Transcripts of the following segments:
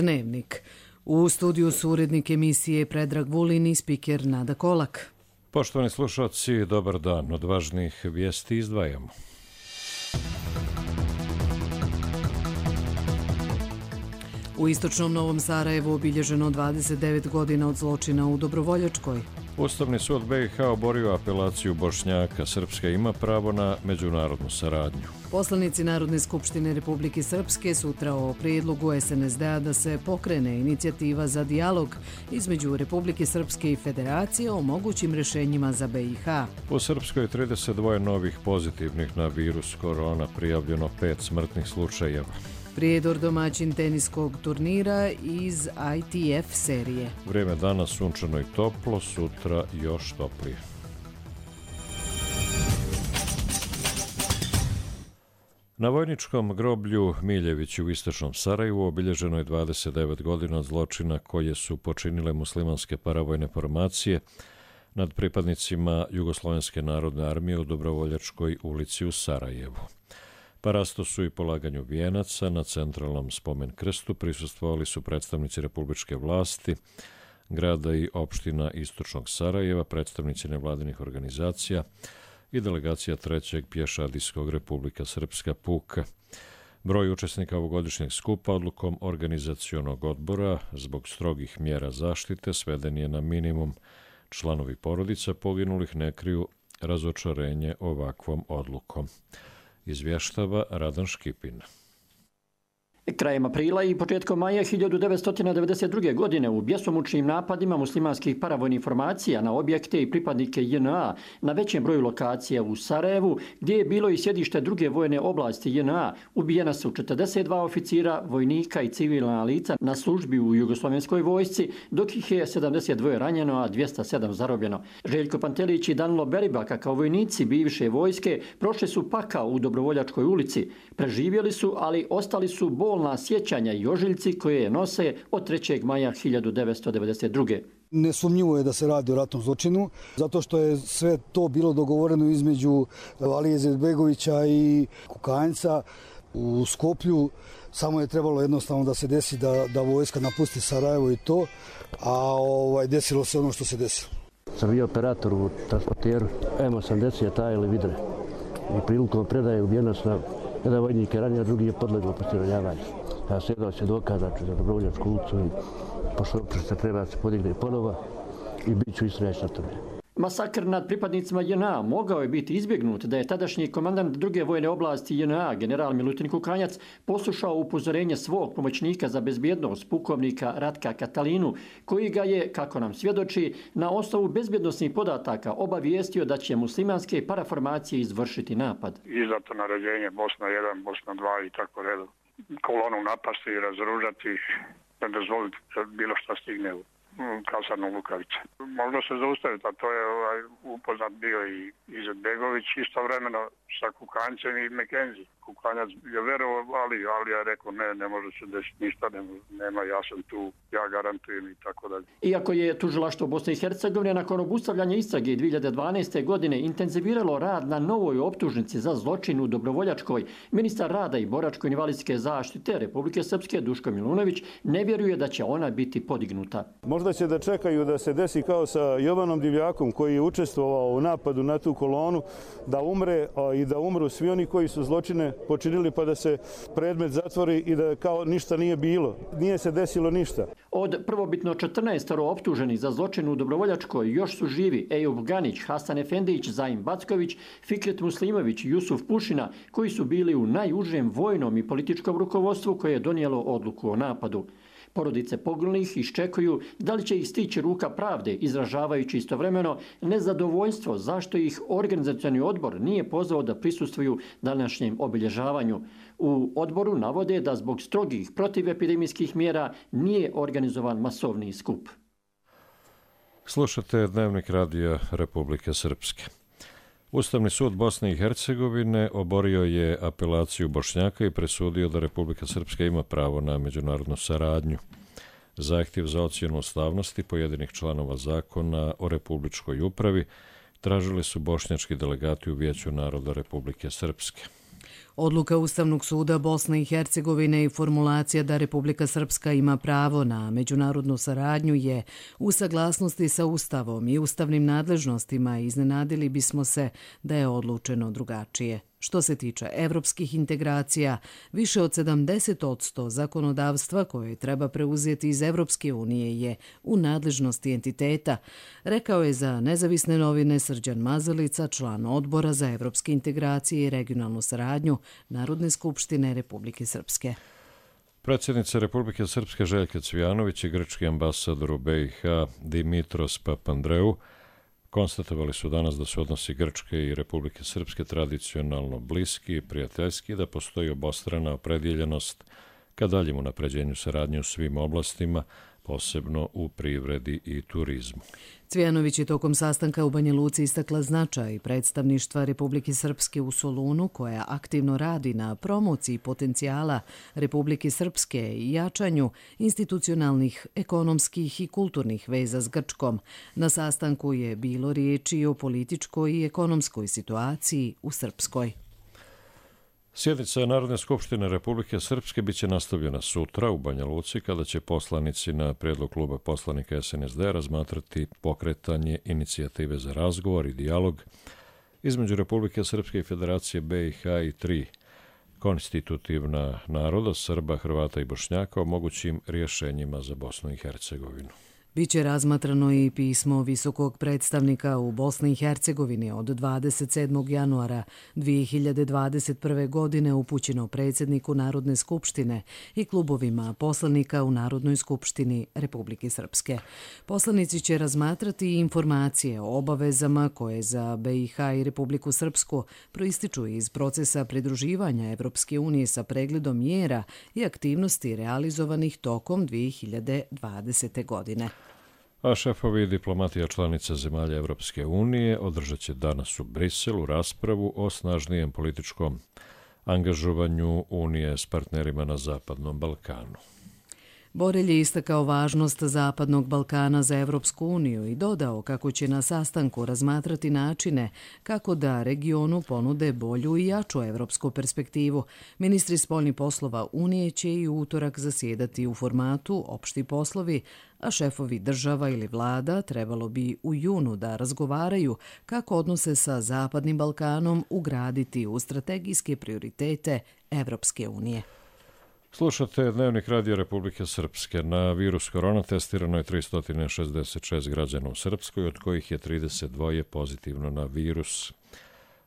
Dnevnik. U studiju su urednik emisije Predrag Vulin i spiker Nada Kolak. Poštovani slušalci, dobar dan. Od važnih vijesti izdvajamo. U istočnom Novom Sarajevu obilježeno 29 godina od zločina u Dobrovoljačkoj. Ustavni sud BiH oborio apelaciju Bošnjaka. Srpska ima pravo na međunarodnu saradnju. Poslanici Narodne skupštine Republike Srpske sutra o prijedlogu SNSD-a da se pokrene inicijativa za dijalog između Republike Srpske i Federacije o mogućim rješenjima za BiH. U Srpskoj 32 novih pozitivnih na virus korona, prijavljeno 5 smrtnih slučajeva. Prijedor domaćin teniskog turnira iz ITF serije. Vrijeme danas sunčano i toplo, sutra još toplije. Na vojničkom groblju Miljević u istočnom Sarajevu obilježeno je 29 godina od zločina koje su počinile muslimanske paravojne formacije nad pripadnicima Jugoslovenske narodne armije u Dobrovoljačkoj ulici u Sarajevu. Parasto su i polaganju vijenaca na centralnom spomen krstu prisustvovali su predstavnici republičke vlasti, grada i opština istočnog Sarajeva, predstavnici nevladinih organizacija i delegacija 3. pješadijskog Republika Srpska puka. Broj učesnika ovogodišnjeg skupa odlukom organizacionog odbora zbog strogih mjera zaštite sveden je na minimum. Članovi porodica poginulih ne kriju razočarenje ovakvom odlukom. Izvještava Radan Škipin. Krajem aprila i početkom maja 1992. godine u bjesomučnim napadima muslimanskih paravojnih formacija na objekte i pripadnike JNA na većem broju lokacija u Sarajevu, gdje je bilo i sjedište druge vojne oblasti JNA, ubijena su 42 oficira, vojnika i civilna lica na službi u Jugoslovenskoj vojsci, dok ih je 72 ranjeno, a 207 zarobljeno. Željko Pantelić i Danilo Beribaka kao vojnici bivše vojske prošli su pakao u Dobrovoljačkoj ulici. Preživjeli su, ali ostali su bolna sjećanja i ožiljci koje je nose od 3. maja 1992. Nesumnjivo je da se radi o ratnom zločinu, zato što je sve to bilo dogovoreno između Alije Izetbegovića i Kukanjca u Skoplju. Samo je trebalo jednostavno da se desi da vojska napusti Sarajevo i to, a desilo se ono što se desilo. Sam bio operator u transporteru M80 tajili vidre i prilikom predaje ubijenost na jedan vojnik je ranjen, a drugi je podleglo postiranjavanju. Ja sjedao svjedoka, znači, za Dobrovoljačku ulicu i pošto se treba se podigne ponova i bit ću istrajati na tome. Masakr nad pripadnicima JNA mogao je biti izbjegnut da je tadašnji komandant druge vojne oblasti JNA, general Milutin Kukanjac, poslušao upozorenje svog pomoćnika za bezbjednost, pukovnika Ratka Katalinu, koji ga je, kako nam svjedoči, na osnovu bezbjednosnih podataka obavijestio da će muslimanske paraformacije izvršiti napad. Izdato naređenje Bosna 1, Bosna 2 i tako redom. Kolonu napasti i razoružati, ne dozvoliti da bilo što stigne u kasarnu Lukavice. Možda se zaustaviti, a to je upoznat bio i Izetbegović istovremeno sa Kukanjcem i McKenzie. Kukanjac je verovao, ali ja rekao ne može se desiti ništa, nema, ja sam tu, ja garantujem i tako dalje. Iako je tužilaštvo Bosne i Hercegovine nakon obustavljanja istrage 2012. godine intenziviralo rad na novoj optužnici za zločin u Dobrovoljačkoj, ministar rada i boračko-invalidske zaštite Republike Srpske Duško Milunović ne vjeruje da će ona biti podignuta. Možda će da čekaju da se desi kao sa Jovanom Divljakom koji je učestvovao u napadu na tu kolonu, da umre i da umru svi oni koji su zločine počinili pa da se predmet zatvori i da kao ništa nije bilo. Nije se desilo ništa. Od prvobitno 14 optuženih za zločin u Dobrovoljačkoj još su živi Ejub Ganić, Hasan Efendić, Zaim Backović, Fikret Muslimović i Jusuf Pušina, koji su bili u najužem vojnom i političkom rukovodstvu koje je donijelo odluku o napadu. Porodice poginulih iščekuju da li će ih stići ruka pravde, izražavajući istovremeno nezadovoljstvo zašto ih organizacioni odbor nije pozvao da prisustvuju današnjem obilježavanju. U odboru navode da zbog strogih protivepidemijskih mjera nije organizovan masovni skup. Slušate Dnevnik radija Republike Srpske. Ustavni sud Bosne i Hercegovine oborio je apelaciju Bošnjaka i presudio da Republika Srpska ima pravo na međunarodnu saradnju. Zahtjev za ocjenu ustavnosti pojedinih članova zakona o republičkoj upravi tražili su bošnjački delegati u Vijeću naroda Republike Srpske. Odluka Ustavnog suda Bosne i Hercegovine i formulacija da Republika Srpska ima pravo na međunarodnu saradnju je u saglasnosti sa Ustavom i ustavnim nadležnostima i iznenadili bismo se da je odlučeno drugačije. Što se tiče evropskih integracija, više od 70% zakonodavstva koje treba preuzeti iz Evropske unije je u nadležnosti entiteta, rekao je za nezavisne novine Srđan Mazalica, član Odbora za evropske integracije i regionalnu saradnju Narodne skupštine Republike Srpske. Predsjednica Republike Srpske Željka Cvijanović i grčki ambasador u BiH Dimitros Papandreou konstatovali su danas da su odnosi Grčke i Republike Srpske tradicionalno bliski i prijateljski, da postoji obostrana opredjeljenost ka daljem unapređenju saradnje u svim oblastima, posebno u privredi i turizmu. Cvijanović je tokom sastanka u Banja Luci istakla značaj predstavništva Republike Srpske u Solunu, koja aktivno radi na promociji potencijala Republike Srpske i jačanju institucionalnih, ekonomskih i kulturnih veza s Grčkom. Na sastanku je bilo riječi o političkoj i ekonomskoj situaciji u Srpskoj. Sjednica Narodne skupštine Republike Srpske biće nastavljena sutra u Banja Luci, kada će poslanici na prijedlog kluba poslanika SNSD razmatrati pokretanje inicijative za razgovor i dijalog između Republike Srpske i Federacije BiH i 3 konstitutivna naroda, Srba, Hrvata i Bošnjaka, o mogućim rješenjima za Bosnu i Hercegovinu. Biće razmatrano i pismo visokog predstavnika u Bosni i Hercegovini od 27. januara 2021. godine upućeno predsjedniku Narodne skupštine i klubovima poslanika u Narodnoj skupštini Republike Srpske. Poslanici će razmatrati informacije o obavezama koje za BiH i Republiku Srpsku proističu iz procesa pridruživanja Evropske unije sa pregledom mjera i aktivnosti realizovanih tokom 2020. godine. A šefovi diplomatija članica zemalja Evropske unije održat će danas u Briselu raspravu o snažnijem političkom angažovanju Unije s partnerima na Zapadnom Balkanu. Borelj je istakao važnost Zapadnog Balkana za Evropsku uniju i dodao kako će na sastanku razmatrati načine kako da regionu ponude bolju i jaču evropsku perspektivu. Ministri spoljnih poslova Unije će i u utorak zasjedati u formatu opšti poslovi, a šefovi država ili vlada trebalo bi u junu da razgovaraju kako odnose sa Zapadnim Balkanom ugraditi u strategijske prioritete Evropske unije. Slušate Dnevnik Radio Republike Srpske. Na virus korona testirano je 366 građana u Srpskoj, od kojih je 32 pozitivno na virus.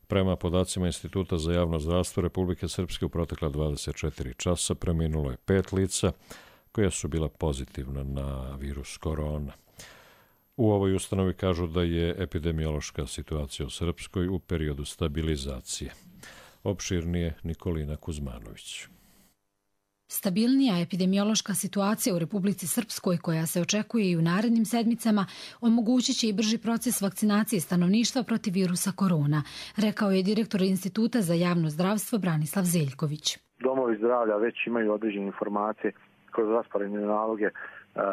Prema podacima Instituta za javno zdravstvo Republike Srpske u protekla 24 časa preminulo je 5 lica koja su bila pozitivna na virus korona. U ovoj ustanovi kažu da je epidemiološka situacija u Srpskoj u periodu stabilizacije. Opširnije Nikolina Kuzmanović. Stabilnija epidemiološka situacija u Republici Srpskoj, koja se očekuje i u narednim sedmicama, omogućit će i brži proces vakcinacije stanovništva protiv virusa korona, rekao je direktor Instituta za javno zdravstvo Branislav Zeljković. Domovi zdravlja već imaju određene informacije kroz rasporedne naloge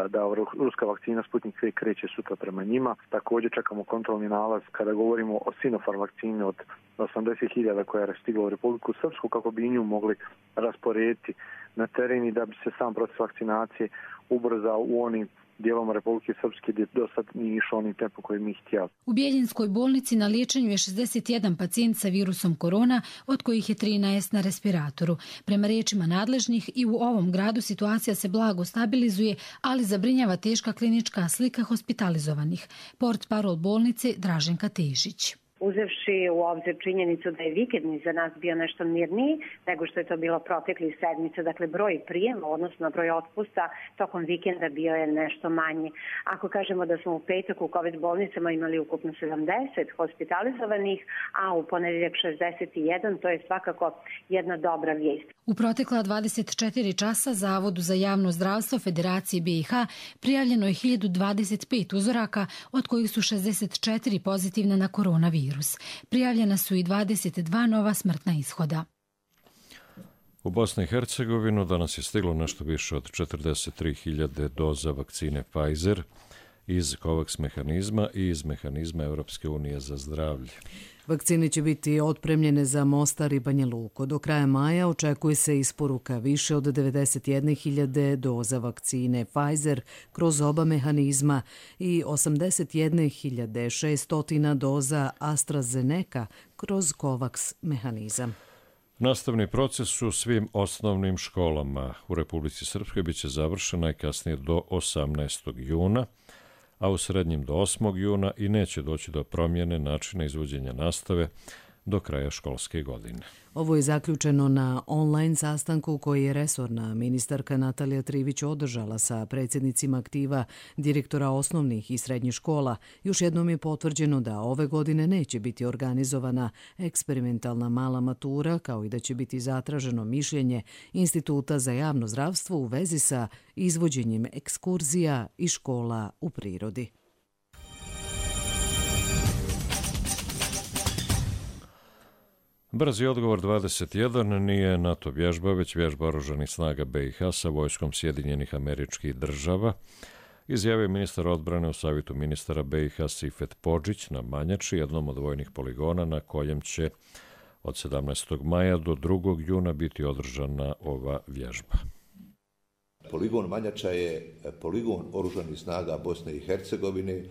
da ruska vakcina Sputnik V kreće sutra prema njima. Također čekamo kontrolni nalaz kada govorimo o Sinopharm vakcini od 80.000 koja je stigla u Republiku Srpsku, kako bi nju mogli rasporediti na teren i da bi se sam proces vakcinacije ubrzao u onim dijelom Republike Srpske gdje do sad nije išao onim tempom koji mi htjeli. U Bjeljinskoj bolnici na liječenju je 61 pacijent sa virusom korona, od kojih je 13 na respiratoru. Prema riječima nadležnih, i u ovom gradu situacija se blago stabilizuje, ali zabrinjava teška klinička slika hospitalizovanih. Portparol bolnice Draženka Tešić. Uzevši u obzir činjenicu da je vikendni za nas bio nešto mirniji nego što je to bilo proteklih sedmica, dakle broj prijema, odnosno broj otpusta tokom vikenda bio je nešto manji. Ako kažemo da smo u petak u COVID bolnicama imali ukupno 70 hospitalizovanih, a u ponedjeljak 61, to je svakako jedna dobra vijest. U protekla 24 časa Zavodu za javno zdravstvo Federacije BiH prijavljeno je 1025 uzoraka, od kojih su 64 pozitivna na koronavirus. Prijavljena su i 22 nova smrtna ishoda. U Bosni i Hercegovinu danas je stiglo nešto više od 43.000 doza vakcine Pfizer iz COVAX mehanizma i iz mehanizma Europske unije za zdravlje. Vakcine će biti otpremljene za Mostar i Banja Luku. Do kraja maja očekuje se isporuka više od 91.000 doza vakcine Pfizer kroz oba mehanizma i 81.600 doza AstraZeneca kroz COVAX mehanizam. Nastavni proces u svim osnovnim školama u Republici Srpskoj biće završen najkasnije do 18. juna, a u srednjim do 8. juna i neće doći do promjene načina izvođenja nastave do kraja školske godine. Ovo je zaključeno na online sastanku koji je resorna ministarka Natalija Trivić održala sa predsjednicima aktiva direktora osnovnih i srednjih škola. Još jednom je potvrđeno da ove godine neće biti organizovana eksperimentalna mala matura, kao i da će biti zatraženo mišljenje Instituta za javno zdravstvo u vezi sa izvođenjem ekskurzija i škola u prirodi. Brzi odgovor 21 nije NATO vježba, već vježba oružanih snaga BiH sa vojskom Sjedinjenih Američkih Država, izjavio ministar odbrane u savjetu ministara BiH Sifet Podžić na Manjači, jednom od vojnih poligona na kojem će od 17. maja do 2. juna biti održana ova vježba. Poligon Manjača je poligon oružanih snaga Bosne i Hercegovine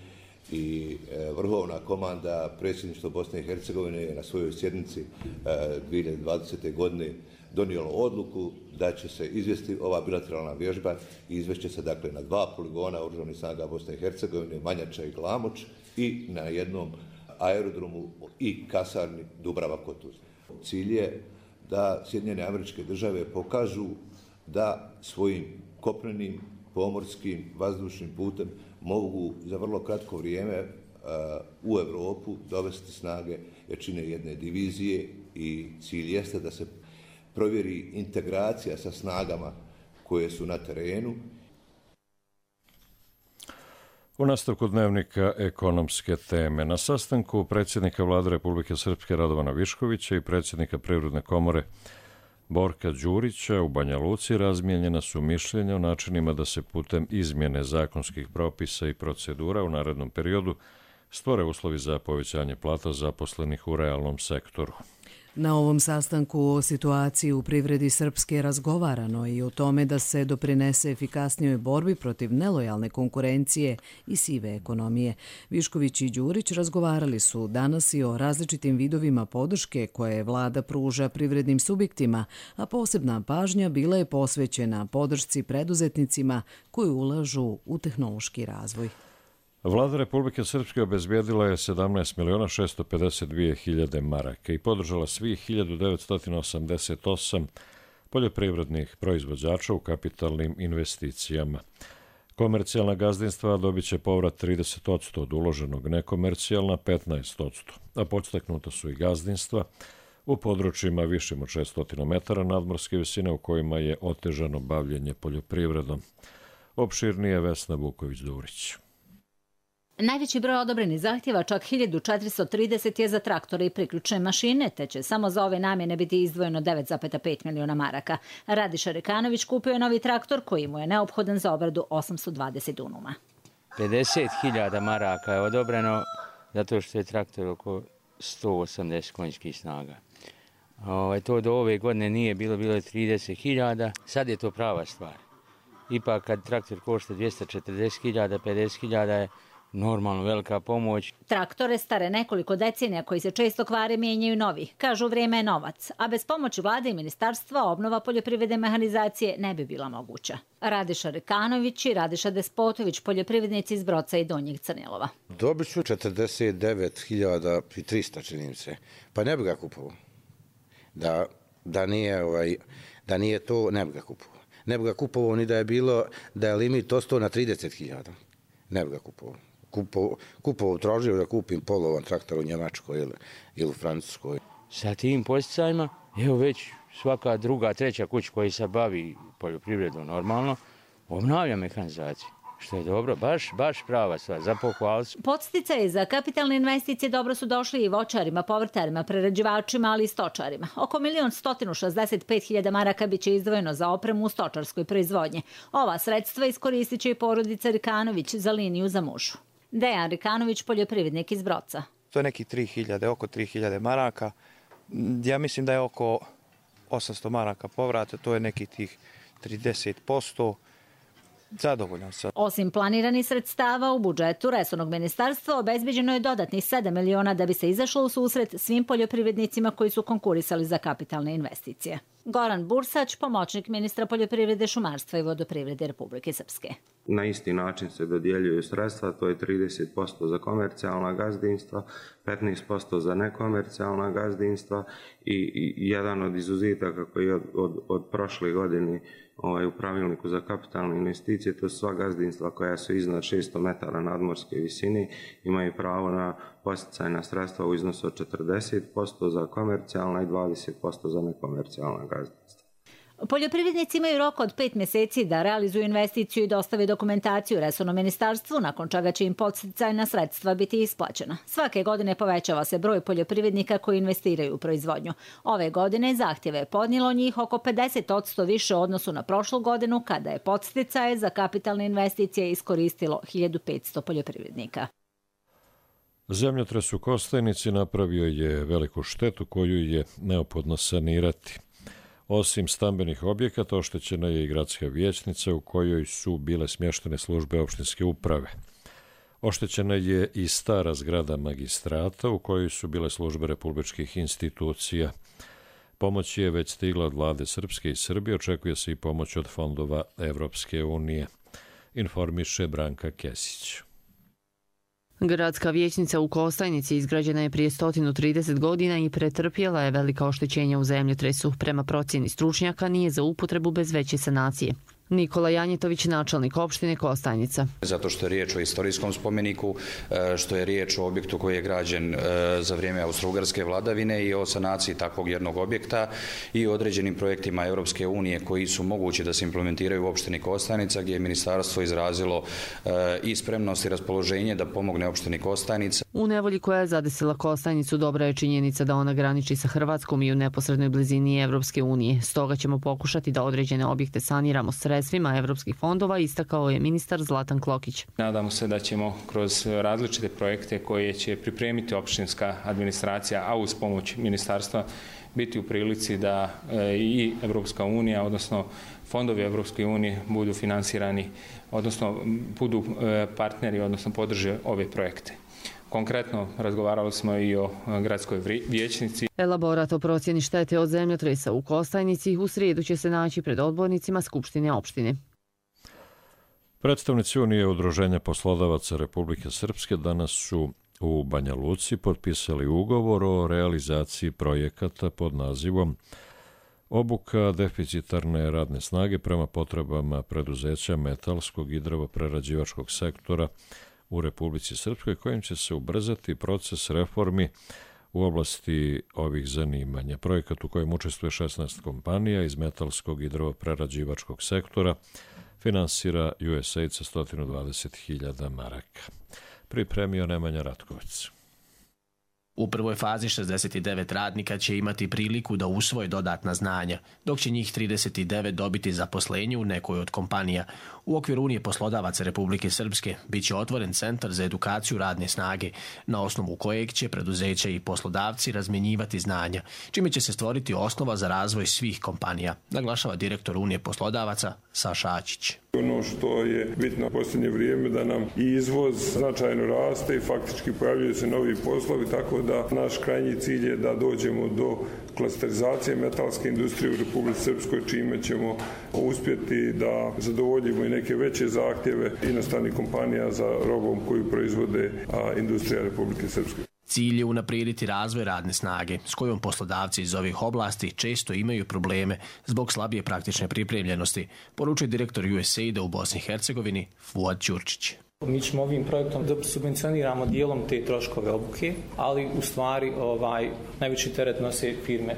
i vrhovna komanda predsjedništva Bosne i Hercegovine je na svojoj sjednici 2020. godine donijelo odluku da će se izvesti ova bilateralna vježba i izvešće se dakle na 2 poligona oružanih snaga Bosne i Hercegovine, Manjača i Glamoč, i na jednom aerodromu i kasarni Dubrava Kotuz. Cilj je da Sjedinjene Američke Države pokažu da svojim kopnenim, pomorskim, vazdušnim putem mogu za vrlo kratko vrijeme u Europu dovesti snage jačine jedne divizije i cilj jeste da se provjeri integracija sa snagama koje su na terenu. U nastavku dnevnika ekonomske teme. Na sastanku predsjednika Vlade Republike Srpske Radovana Viškovića i predsjednika Privredne komore Borka Đurića u Banja Luci razmijenjena su mišljenja o načinima da se putem izmjene zakonskih propisa i procedura u narednom periodu stvore uslovi za povećanje plata zaposlenih u realnom sektoru. Na ovom sastanku o situaciji u privredi Srpske razgovarano i o tome da se doprinese efikasnijoj borbi protiv nelojalne konkurencije i sive ekonomije. Višković i Đurić razgovarali su danas i o različitim vidovima podrške koje vlada pruža privrednim subjektima, a posebna pažnja bila je posvećena podršci preduzetnicima koji ulažu u tehnološki razvoj. Vlada Republike Srpske obezbijedila je 17.652.000 maraka i podržala svih 1988 poljoprivrednih proizvođača u kapitalnim investicijama. Komercijalna gazdinstva dobit će povrat 30% od uloženog, nekomercijalna 15%, a podstaknuta su i gazdinstva u područjima višim od 600 metara nadmorske visine u kojima je otežano bavljenje poljoprivredom. Opširnije Vesna Vuković-Durić. Najveći broj odobrenih zahtjeva, čak 1430, je za traktore i priključne mašine, te će samo za ove namjene biti izdvojeno 9,5 miliona maraka. Radiša Rekanović kupio je novi traktor koji mu je neophodan za obradu 820 dunuma. 50.000 maraka je odobreno zato što je traktor oko 180 konjskih snaga. To do ove godine nije bilo je 30.000, sad je to prava stvar. Ipak kad traktor košta 240.000, 50.000 je normalno velika pomoć. Traktore stare nekoliko decenija koji se često kvare mijenjaju novi. Kažu vrijeme je novac, a bez pomoći vlade i ministarstva obnova poljoprivredne mehanizacije ne bi bila moguća. Radiša Rekanović i Radiša Despotović, poljoprivrednici iz Broca i Donjeg Crnilova. Dobit ću 49.300, činim se. Pa ne bi ga kupovao. Da nije to, ne bi ga kupovao. Ne bi ga kupovao ni da je bilo, da je limit ostao na 30.000. Ne bi ga kupovao. Tražio da kupim polovan traktor u Njemačkoj ili u Francuskoj. Sa tim posticajima, evo već svaka druga, treća kuća koja se bavi poljoprivredom normalno, obnavlja mehanizaciju. što je dobro, baš prava stvar, za pohvalu. Podsticaji za kapitalne investicije dobro su došli i voćarima, povrtarima, prerađivačima, ali i stočarima. Oko 1.165.000 maraka biće izdvojeno za opremu u stočarskoj proizvodnji. Ova sredstva iskoristit će i porodica Rikanović za liniju za mužu. Dejan Rikanović, poljoprivrednik iz Broca. To je neki 3.000, oko 3.000 maraka. Ja mislim da je oko 800 maraka povrata, to je neki tih 30%. Zadovoljan sam. Osim planiranih sredstava u budžetu resornog ministarstva obezbeđeno je dodatnih 7 miliona da bi se izašlo u susret svim poljoprivrednicima koji su konkurisali za kapitalne investicije. Goran Bursać, pomoćnik ministra poljoprivrede, šumarstva i vodoprivrede Republike Srpske. Na isti način se dodjeljuju sredstva, to je 30% za komercijalna gazdinstva, 15% za nekomercijalna gazdinstva i jedan od izuzitaka koji je od prošle godine u pravilniku za kapitalne investicije, to su sva gazdinstva koja su iznad 600 metara nadmorske visine, imaju pravo na posticajna sredstva u iznosu od 40% za komercijalna i 20% za nekomercijalna gazdinstva. Poljoprivrednici imaju rok od 5 mjeseci da realizuju investiciju i dostave dokumentaciju resornom ministarstvu, nakon čega će im podsticajna sredstva biti isplaćena. Svake godine povećava se broj poljoprivrednika koji investiraju u proizvodnju. Ove godine zahtjeve je podnijelo njih oko 50% više u odnosu na prošlu godinu, kada je podsticaje za kapitalne investicije iskoristilo 1500 poljoprivrednika. Zemljotres u Kostajnici napravio je veliku štetu koju je neophodno sanirati. Osim stambenih objekata, oštećena je i gradska vijećnica u kojoj su bile smještene službe opštinske uprave. Oštećena je i stara zgrada magistrata u kojoj su bile službe republičkih institucija. Pomoć je već stigla od vlade Srpske i Srbije, očekuje se i pomoć od fondova Evropske unije, informiše Branka Kesić. Gradska vijećnica u Kostajnici izgrađena je prije 130 godina i pretrpjela je velika oštećenja u zemljotresu. Prema procjeni stručnjaka nije za upotrebu bez veće sanacije. Nikola Janjetović, načelnik opštine Kostajnica. Zato što je riječ o istorijskom spomeniku, što je riječ o objektu koji je građen za vrijeme austrougarske vladavine i o sanaciji takvog jednog objekta i određenim projektima Europske unije koji su mogući da se implementiraju u opštini Kostajnica, gdje je ministarstvo izrazilo i spremnost i raspoloženje da pomogne opštini Kostajnica. U nevolji koja je zadesila Kostajnicu dobra je činjenica da ona graniči sa Hrvatskom i u neposrednoj blizini Evropske unije. Stoga ćemo pokušati da određene objekte saniramo sredstvima evropskih fondova, istakao je ministar Zlatan Klokić. Nadamo se da ćemo kroz različite projekte koje će pripremiti opštinska administracija, a uz pomoć ministarstva, biti u prilici da i Evropska unija, odnosno fondovi Evropske unije budu finansirani, odnosno budu partneri, odnosno podrže ove projekte. Konkretno razgovarali smo i o gradskoj vijećnici. Elaborat o procjeni štete od zemljotresa u Kostajnici u srijedu će se naći pred odbornicima Skupštine opštine. Predstavnici Unije udruženja poslodavaca Republike Srpske danas su u Banja Luci potpisali ugovor o realizaciji projekata pod nazivom Obuka deficitarne radne snage prema potrebama preduzeća metalskog i drvoprerađivačkog sektora u Republici Srpskoj, kojim će se ubrzati proces reformi u oblasti ovih zanimanja. Projekat u kojem učestvuje 16 kompanija iz metalskog i drvoprerađivačkog sektora finansira USAID sa 120.000 maraka. Pripremio Nemanja Ratkovac. U prvoj fazi 69 radnika će imati priliku da usvoje dodatna znanja, dok će njih 39 dobiti zaposlenje u nekoj od kompanija. U okviru Unije poslodavaca Republike Srpske bit će otvoren centar za edukaciju radne snage, na osnovu kojeg će preduzeća i poslodavci razmjenjivati znanja, čime će se stvoriti osnova za razvoj svih kompanija, naglašava direktor Unije poslodavaca Saša Ačić. Ono što je bitno u posljednje vrijeme da nam i izvoz značajno raste i faktički pojavljaju se novi poslovi, tako da naš krajnji cilj je da dođemo do klasterizacije metalske industrije u Republici Srpskoj, čime ćemo uspjeti da zadovoljimo i neke veće zahtjeve inostranih kompanija za robom koju proizvode industrija Republike Srpske. Cilj je unaprijediti razvoj radne snage, s kojom poslodavci iz ovih oblasti često imaju probleme zbog slabije praktične pripremljenosti, poručuje direktor USAID-a u Bosni i Hercegovini Fuad Ćurčić. Mi ćemo ovim projektom da subvencioniramo dijelom te troškove obuke, ali u stvari najveći teret nose firme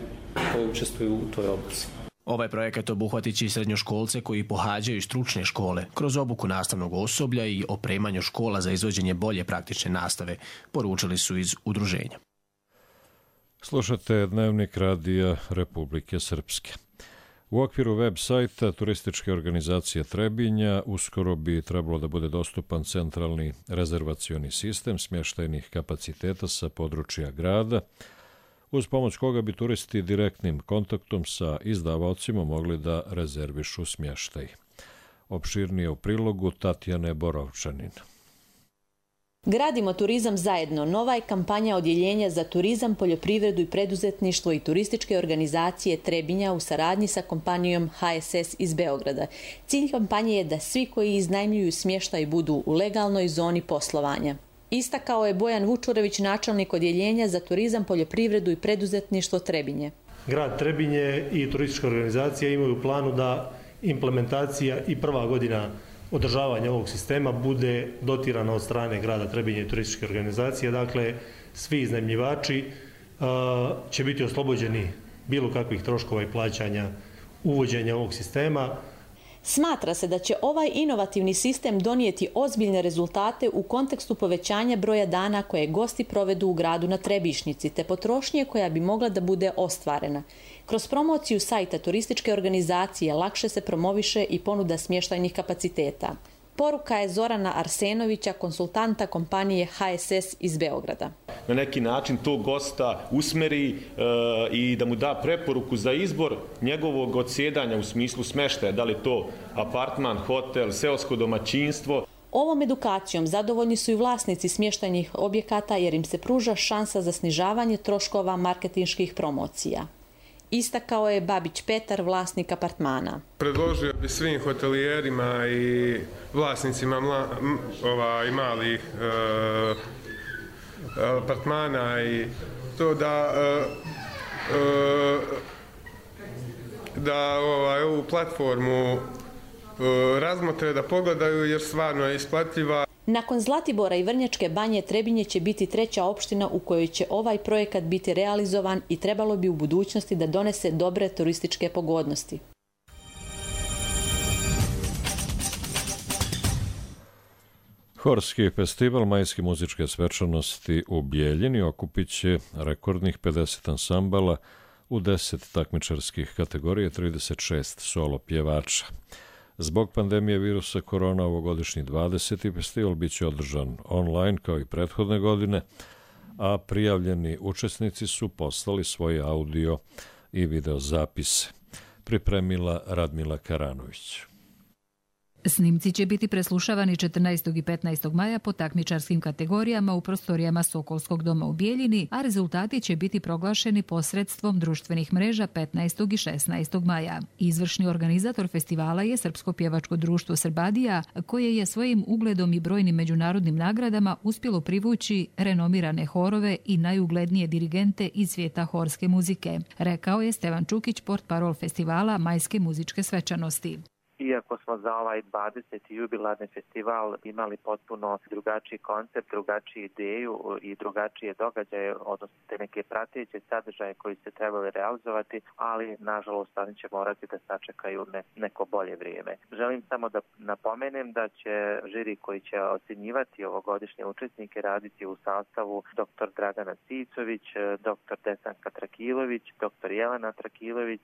koje učestvuju u toj obuci. Ovaj projekat obuhvatit će i srednjoškolce koji pohađaju stručne škole kroz obuku nastavnog osoblja i opremanju škola za izvođenje bolje praktične nastave, poručili su iz udruženja. Slušate Dnevnik radija Republike Srpske. U okviru web sajta turističke organizacije Trebinja uskoro bi trebalo da bude dostupan centralni rezervacioni sistem smještajnih kapaciteta sa područja grada, uz pomoć koga bi turisti direktnim kontaktom sa izdavaocima mogli da rezervišu smještaj. Opširnije u prilogu Tatjane Borovčanin. Gradimo turizam zajedno. Nova je kampanja Odjeljenja za turizam, poljoprivredu i preduzetništvo i turističke organizacije Trebinja u saradnji sa kompanijom HSS iz Beograda. Cilj kampanje je da svi koji iznajmljuju smještaj budu u legalnoj zoni poslovanja. Istakao je Bojan Vučurević, načelnik Odjeljenja za turizam, poljoprivredu i preduzetništvo Trebinje. Grad Trebinje i turistička organizacija imaju u planu da implementacija i prva godina održavanja ovog sistema bude dotirana od strane grada Trebinje i turističke organizacije. Dakle, svi iznajmljivači će biti oslobođeni bilo kakvih troškova i plaćanja uvođenja ovog sistema. Smatra se da će ovaj inovativni sistem donijeti ozbiljne rezultate u kontekstu povećanja broja dana koje gosti provedu u gradu na Trebišnjici, te potrošnje koja bi mogla da bude ostvarena. Kroz promociju sajta turističke organizacije lakše se promoviše i ponuda smještajnih kapaciteta. Poruka je Zorana Arsenovića, konsultanta kompanije HSS iz Beograda. Na neki način tog gosta usmeri i da mu da preporuku za izbor njegovog odsjedanja u smislu smještaja, da li to apartman, hotel, seosko domaćinstvo. Ovom edukacijom zadovoljni su i vlasnici smještajnih objekata jer im se pruža šansa za snižavanje troškova marketinških promocija. Istakao je Babić Petar, vlasnik apartmana. Predložio bi svim hotelijerima i vlasnicima malih apartmana i to da ovu platformu razmotre, da pogledaju jer stvarno je isplatljiva. Nakon Zlatibora i Vrnjačke banje, Trebinje će biti treća opština u kojoj će ovaj projekat biti realizovan i trebalo bi u budućnosti da donese dobre turističke pogodnosti. Horski festival majske muzičke svečanosti u Bijeljini okupit će rekordnih 50 ansambala u 10 takmičarskih kategorija, 36 solo pjevača. Zbog pandemije virusa korona ovogodišnji 20. festival bit će održan online kao i prethodne godine, a prijavljeni učesnici su poslali svoje audio i video zapise. Pripremila Radmila Karanović. Snimci će biti preslušavani 14. i 15. maja po takmičarskim kategorijama u prostorijama Sokolskog doma u Bijeljini, a rezultati će biti proglašeni posredstvom društvenih mreža 15. i 16. maja. Izvršni organizator festivala je Srpsko pjevačko društvo Srbadija, koje je svojim ugledom i brojnim međunarodnim nagradama uspjelo privući renomirane horove i najuglednije dirigente iz svijeta horske muzike, rekao je Stevan Čukić, portparol festivala Majske muzičke svečanosti. Iako smo za ovaj 20. jubilarni festival imali potpuno drugačiji koncept, drugačiju ideju i drugačije događaje, odnosno te neke prateće sadržaje koji se trebali realizovati, ali nažalost oni će morati da sačekaju neko bolje vrijeme. Želim samo da napomenem da će žiri koji će ocjenjivati ovogodišnje učesnike raditi u sastavu dr. Dragana Cicović, dr. Desanka Trakilović, dr. Jelena Trakilović,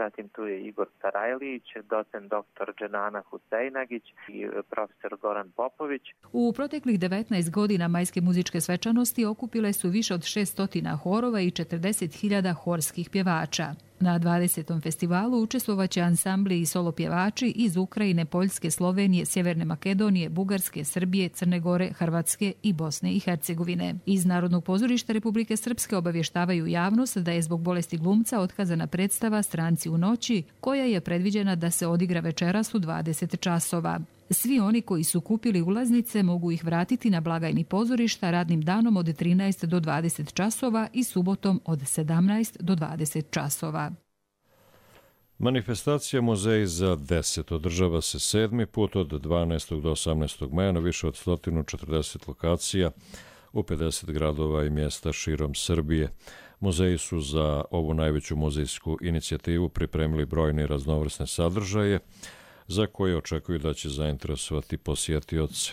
zatim tu je Igor Sarajlić, docent dr. Dženana Husejnagić i profesor Goran Popović. U proteklih 19 godina majske muzičke svečanosti okupile su više od 600 horova i 40.000 horskih pjevača. Na 20. festivalu učestvovaće ansambli i solo pjevači iz Ukrajine, Poljske, Slovenije, Sjeverne Makedonije, Bugarske, Srbije, Crne Gore, Hrvatske i Bosne i Hercegovine. Iz Narodnog pozorišta Republike Srpske obavještavaju javnost da je zbog bolesti glumca otkazana predstava Stranci u noći, koja je predviđena da se odigra večeras u 20 časova. Svi oni koji su kupili ulaznice mogu ih vratiti na blagajni pozorišta radnim danom od 13 do 20 časova i subotom od 17 do 20 časova. Manifestacija Muzej za 10 održava se 7. put od 12. do 18. maja na više od 140 lokacija u 50 gradova i mjesta širom Srbije. Muzeji su za ovu najveću muzejsku inicijativu pripremili brojne i raznovrsne sadržaje za koje očekuju da će zainteresovati posjetioce.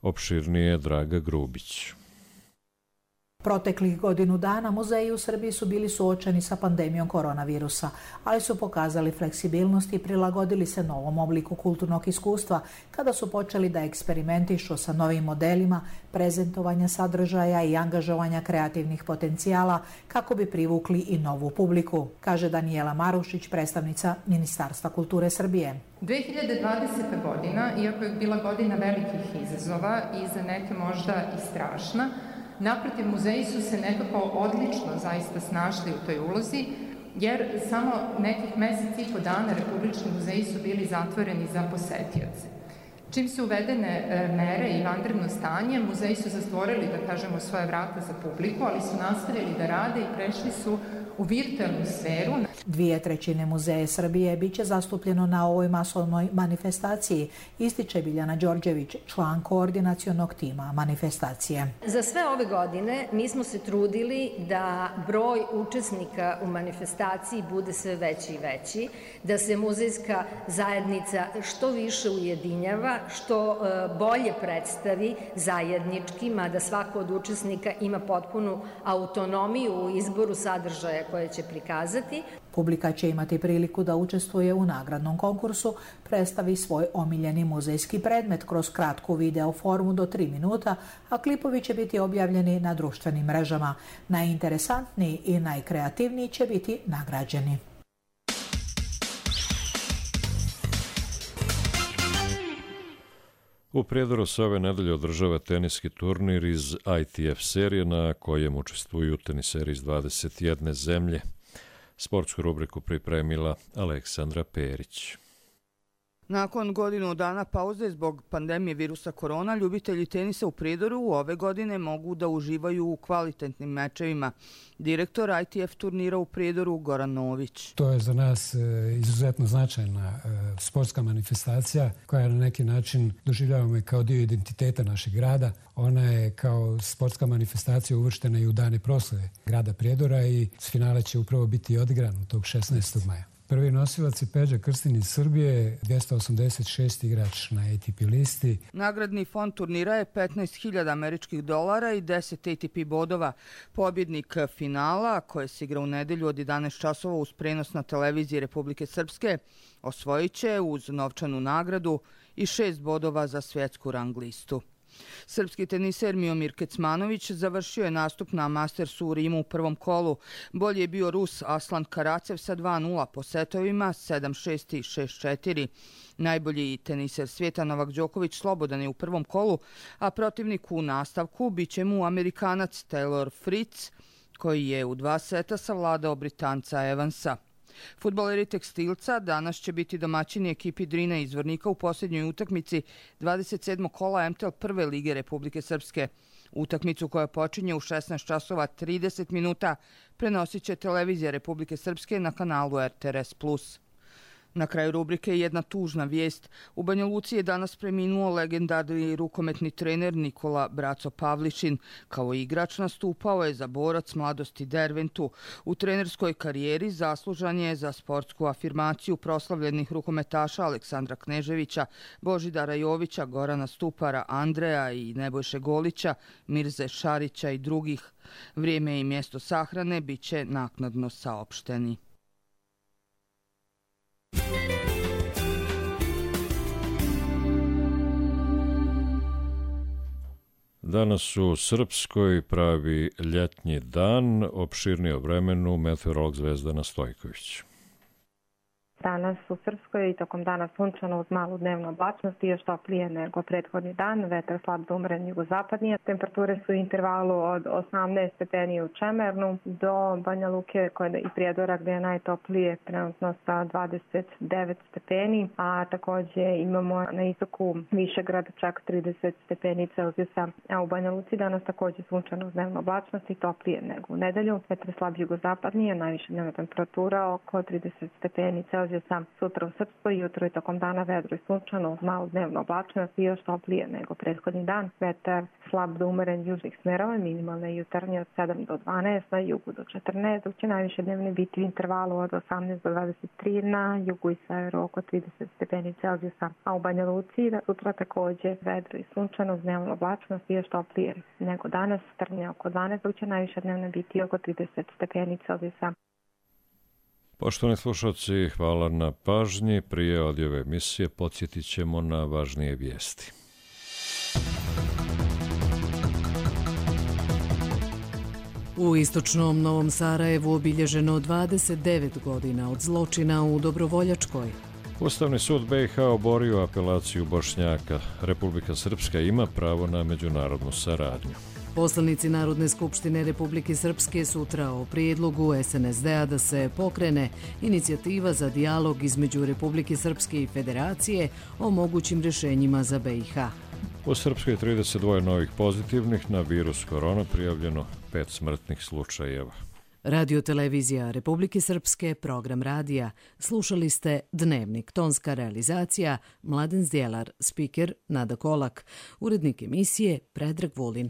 Opširnije Draga Grubić. Proteklih godinu dana muzeji u Srbiji su bili suočeni sa pandemijom koronavirusa, ali su pokazali fleksibilnost i prilagodili se novom obliku kulturnog iskustva kada su počeli da eksperimentišu sa novim modelima prezentovanja sadržaja i angažovanja kreativnih potencijala kako bi privukli i novu publiku, kaže Danijela Marušić, predstavnica Ministarstva kulture Srbije. 2020. godina, iako je bila godina velikih izazova i za neke možda i strašna, naprotiv, muzeji su se nekako odlično zaista snašli u toj ulozi, jer samo nekih mesec i po dana republički muzeji su bili zatvoreni za posetioce. Čim su uvedene mere i vanredno stanje, muzeji su zatvorili, da kažemo, svoje vrata za publiku, ali su nastavili da rade i prešli su u virtualnu sferu. 2/3 muzeje Srbije biće zastupljeno na ovoj masovnoj manifestaciji, ističe Biljana Đorđević, član koordinacionog tima manifestacije. Za sve ove godine mi smo se trudili da broj učesnika u manifestaciji bude sve veći i veći, da se muzejska zajednica što više ujedinjava, što bolje predstavi zajednički, mada svako od učesnika ima potpunu autonomiju u izboru sadržaja koje će prikazati. Publika će imati priliku da učestvuje u nagradnom konkursu, predstavi svoj omiljeni muzejski predmet kroz kratku video formu do 3 minuta, a klipovi će biti objavljeni na društvenim mrežama. Najinteresantniji i najkreativniji će biti nagrađeni. U Prijedoru se ove nedelje održava teniski turnir iz ITF serije na kojem učestvuju teniseri iz 21 zemlje. Sportsku rubriku pripremila Aleksandra Perić. Nakon godinu dana pauze zbog pandemije virusa korona, ljubitelji tenisa u Prijedoru ove godine mogu da uživaju u kvalitetnim mečevima. Direktor ITF turnira u Prijedoru Goran Nović. To je za nas izuzetno značajna sportska manifestacija koja na neki način doživljavamo i kao dio identiteta našeg grada. Ona je kao sportska manifestacija uvrštena i u dane proslave grada Prijedora i finale će upravo biti odigran tog 16. maja. Prvi nosilac je Peđa Krstin iz Srbije, 286 igrač na ATP listi. Nagradni fond turnira je $15.000 američkih dolara i 10 ATP bodova. Pobjednik finala, koje se igra u nedelju od 11 časova uz prenos na televiziji Republike Srpske, osvojit će uz novčanu nagradu i 6 bodova za svjetsku rang listu. Srpski teniser Miomir Kecmanović završio je nastup na Mastersu u Rimu u prvom kolu. Bolji je bio Rus Aslan Karacev sa 2:0 po setovima, 7:6 i 6:4. Najbolji teniser svijeta Novak Đoković slobodan je u prvom kolu, a protivnik u nastavku biće mu Amerikanac Taylor Fritz, koji je u 2 seta savladao Britanca Evansa. Fudbaleri Tekstilca danas će biti domaćini ekipi Drina iz Zvornika u posljednjoj utakmici 27. kola MTL prve lige Republike Srpske. Utakmicu koja počinje u 16 časova 30 minuta prenosit će televizija Republike Srpske na kanalu RTRS+. Na kraju rubrike jedna tužna vijest. U Banja Luci je danas preminuo legendarni rukometni trener Nikola Braco Pavličin. Kao igrač nastupao je za Borac Mladosti Derventu. U trenerskoj karijeri zaslužan je za sportsku afirmaciju proslavljenih rukometaša Aleksandra Kneževića, Božidara Jovića, Gorana Stupara, Andreja i Nebojše Golića, Mirze Šarića i drugih. Vrijeme i mjesto sahrane bit će naknadno saopšteni. Danas u Srpskoj pravi ljetnji dan, opširnije o vremenu, meteorolog Zvezdana Stojković. Danas u Srpskoj i tokom dana sunčano uz malu dnevnu oblačnost i još toplije nego prethodni dan, vetar slab do umeren jugozapadnije. Temperature su u intervalu od 18 stepeni u Čemernu do Banja Luke i Prijedora gdje je najtoplije trenutno sa 29 stepeni, a također imamo na istoku Višegrad čak 30 stepeni Celzijusa, a u Banja Luci danas također sunčano uz dnevnu oblačnost i toplije nego u nedelju. Vetar slab jugozapadnije, najviša dnevna temperatura oko 30 stepeni Celzijusa Celzijusa. Sutra u Srpskoj jutro i tokom dana vedro i sunčano uz malu dnevnu oblačnost i još toplije nego prethodni dan. Vetar slab do umeren južnih smerova, minimalne jutarnje od 7 do 12, na jugu do 14, dok će najviše dnevne biti u intervalu od 18 do 23, na jugu i severu oko 30 stepeni Celzijusa. A u Banja Luci sutra takođe vedro i sunčano uz dnevnu oblačnost i još toplije nego danas, trnje oko 12, dok će najviše dnevne biti oko 30 stepeni Celzijusa. Poštovani slušalci, hvala na pažnji. Prije odjave emisije podsjetit ćemo na važnije vijesti. U istočnom Novom Sarajevu obilježeno 29 godina od zločina u Dobrovoljačkoj. Ustavni sud BiH oborio apelaciju Bošnjaka. Republika Srpska ima pravo na međunarodnu saradnju. Poslanici Narodne skupštine Republike Srpske sutra o prijedlogu SNSD-a da se pokrene inicijativa za dijalog između Republike Srpske i Federacije o mogućim rješenjima za BiH. U Srpskoj je 32 novih pozitivnih na virus korona, prijavljeno 5 smrtnih slučajeva. Radio televizija Republike Srpske, program radija. Slušali ste Dnevnik, tonska realizacija, Mladen Zdjelar, spiker Nada Kolak, urednik emisije Predrag Vulin.